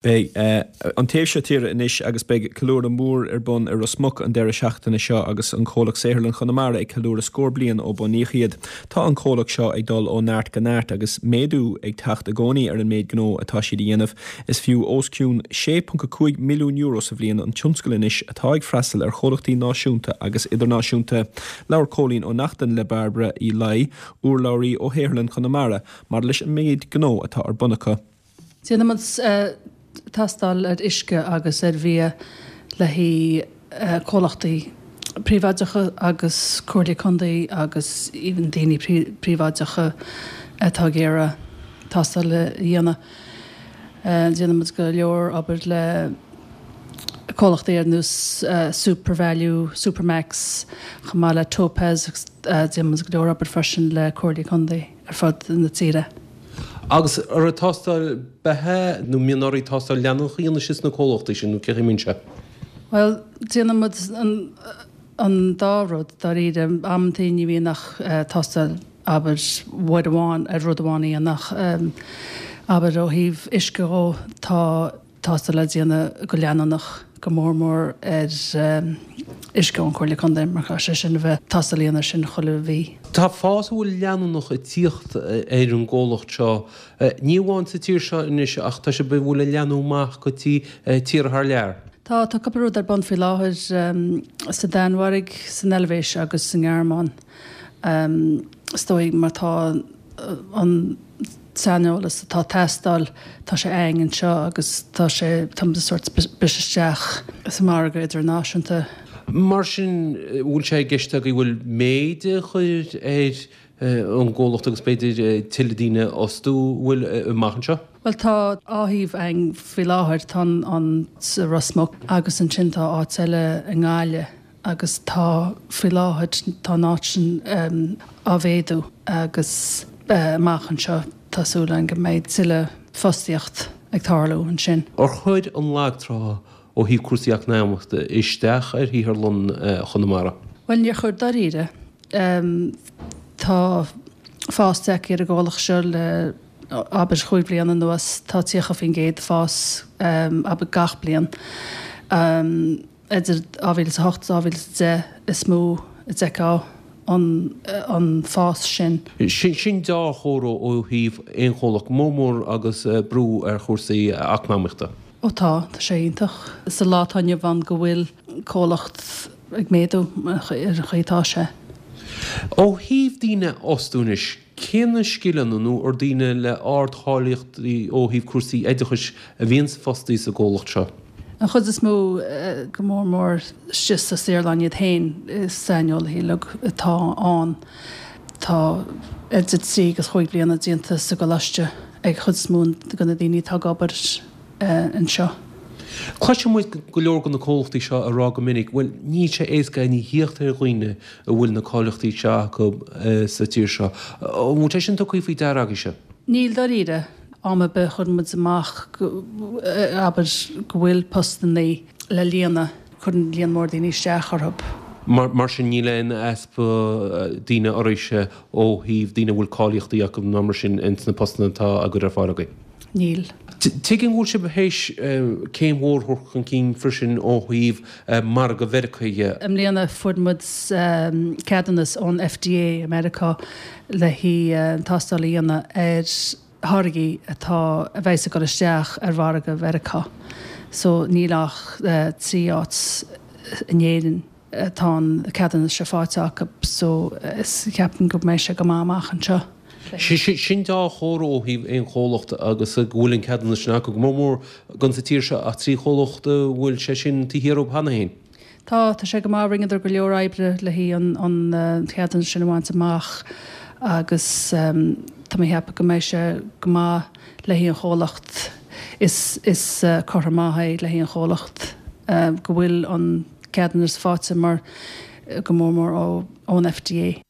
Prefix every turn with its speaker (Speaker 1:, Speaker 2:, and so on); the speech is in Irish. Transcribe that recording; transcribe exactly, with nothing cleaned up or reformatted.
Speaker 1: Beidh an taobh seo tíre anois agus beidh ceiliúradh mór ar bun i Ros Muc an deireadh seachtaine seo agus an comhlacht Saotharlann Chonamara ag ceiliúradh scór bliain ó bunaíodh iad. Tá an comhlacht seo ag dul ó neart go neart agus méadú ag teacht i gcónaí ar an méid gnó atá siad a dhéanamh. Is fiú os cionn sé ponc a cúig milliún euro sa bhliain an tionscal anois atá ag freastal ar chomhlachtaí náisiúnta agus idirnáisiúnta. Labhair Cóilín Ó Neachtain le Bairbre Uí Laoi, urlabhraí ó Shaotharlann Chonamara, mar leis an méid gnó atá ar bun acu.
Speaker 2: Déanaimid tástáil ar uisce agus ar bhia le haghaidh comhlachtaí príobháideacha agus comhairlí contae agus even daoine príobháideacha atá ag iarraidh tástáil a dhéanamh. Déanaimid go leor obair le comhlachtaí ar nós SuperValu, Supermacs, chomh maith le Topaz agus déanaimid go leor obair freisin le comhairlí contae ar fud na tíre.
Speaker 3: Agus ar tástáil beatha nó mbíonn oraibh tástáil leanúnach a dhéanamh sna comhlachtaí sin nó cé mbíonn sé?
Speaker 2: Well, déanaimid an, an dá rud dáiríre amantaí ní bhíonn ach tástáil abair uair amháin ar rud amháin a dhéanamh abair ó thaobh uisce dhó tá tástáil le déanamh go leanúnach go mór mór ar uisce ón Chomhairle Contae mar caithfidh sé sin a bheith tástáil a dhéanamh sin chuile mhí.
Speaker 3: Tá fás a bhfuil leanúnach ag tíocht ar an gcomhlacht seo, ní amháin sa tír seo anois ach tá sé a bhfuil ag leathnú amach go dtí tíortha thar lear.
Speaker 2: Tá tá cúpla rud ar bun faoi láthair sa Danmhairg, san Eilvéis agus sa nGearmáin. Is dóigh mar tá an saineolas atá teastáil tá sé againn anseo agus tá sé tá sort briseadh isteach sa margadh idirnáisiúnta.
Speaker 3: Mar sin bhfuil sé i gceist agaibh bhfuil méid a chur ar an gcomhlacht agus b'fhéidir tuilleadh daoine a fhostú bhfuil amach anseo?
Speaker 2: Well tá dhá shuíomh againn faoi láthair tá an sa Ros Muc agus ansin tá áit eile i nGaillimh agus tá faoi láthair tá an áit sin á mhéadú agus amach anseo tá súil againn go mbeidh tuilleadh fostaíocht ag tarlú ansin.
Speaker 3: Ar chuir an lagtrá ó thaobh cúrsaí eacnamaíochta isteach ar Shaotharlann Chonamara?
Speaker 2: Well níor chuir dáiríre. Tá fás tagtha ar an gcomhlacht seo le abair chúig bliana anuas tá tríocha faoin gcéad fás abair gach bliain. Idir dhá mhíle is a hocht is dhá mhíle is a deich is mó a d'fheicfeá an an fás sin.
Speaker 3: Sin dea-chomhartha ó thaobh aon chomhlacht, go mór mór agus brú ar chúrsaí eacnamaíochta.
Speaker 2: Ó tá, tá sé iontach sa lá atá inniu ann go bhfuil comhlacht ag méadú ar an chaoi atá sé.
Speaker 3: Ó thaobh daoine a fhostú anois, cé na scileanna nó ar daoine le ardcháilíochtaí ó thaobh cúrsaí oideachais a bhíonn fostaí sa gcomhlacht seo?
Speaker 2: An chuid is mó go mór mór istigh sa saotharlann iad féin is saineolaithe uilig atá ann. Tá idir trí agus chúig bliana déanta sa gcoláiste ag chuid is mó de na daoine atá ag obair anseo.
Speaker 3: Cloiseann muid go leor de na comhlachtaí seo ag rá go minic, bhuel, níl sé éasca aon thíocht ar dhaoine a bhfuil na cáilíochtaí seo acu sa tír seo. An bhfuil sé sin tugtha faoi deara agaibhse?
Speaker 2: Níl dáiríre. Am ar bith a chuireann muid amach abair go bhfuil postannaí le líonadh, cuireann líon mór daoine isteach orthu.
Speaker 3: Mar sin níl aon easpa daoine oraibhse ó thaobh daoine a bhfuil cáilíochtaí acu ná mar sin ins na postanna atá á gcur ar fáil agaibh?
Speaker 2: Níl.
Speaker 3: Tuigim go bhfuil sibh théis céim mhór a thabhairt chun cinn freisin ó thaobh margadh Mheiriceá dhe.
Speaker 2: I mbliana fuair muid ceadúnas ón FDA i Meiriceá le haghaidh tástáil a dhéanamh ar tháirgí atá a bheas ag dul isteach ar mhargadh Mheiriceá. So níl ach trí áit in Éirinn atá an ceadúnas seo faighte acu so is ceapaim go mbeidh sé go maith amach anseo.
Speaker 3: Sin dea-chomhartha ó thaobh aon chomhlacht agus go bhfuil an ceadúnas sin acu, go mór mór gan sa tír seo ach trí chomhlacht a bhfuil sé sin taobh thiar dhóibh cheana féin.
Speaker 2: Tá, tá sé go maith, rinneadar go leor oibre le haghaidh an ceadúnas sin a bhaint amach agus tá mé ag ceapadh go mbeidh sé go maith le haghaidh an chomhlacht. Is is comhartha maith é le haghaidh an chomhlacht go bhfuil an ceadúnas faighte mar go mór mór ó ón FDA.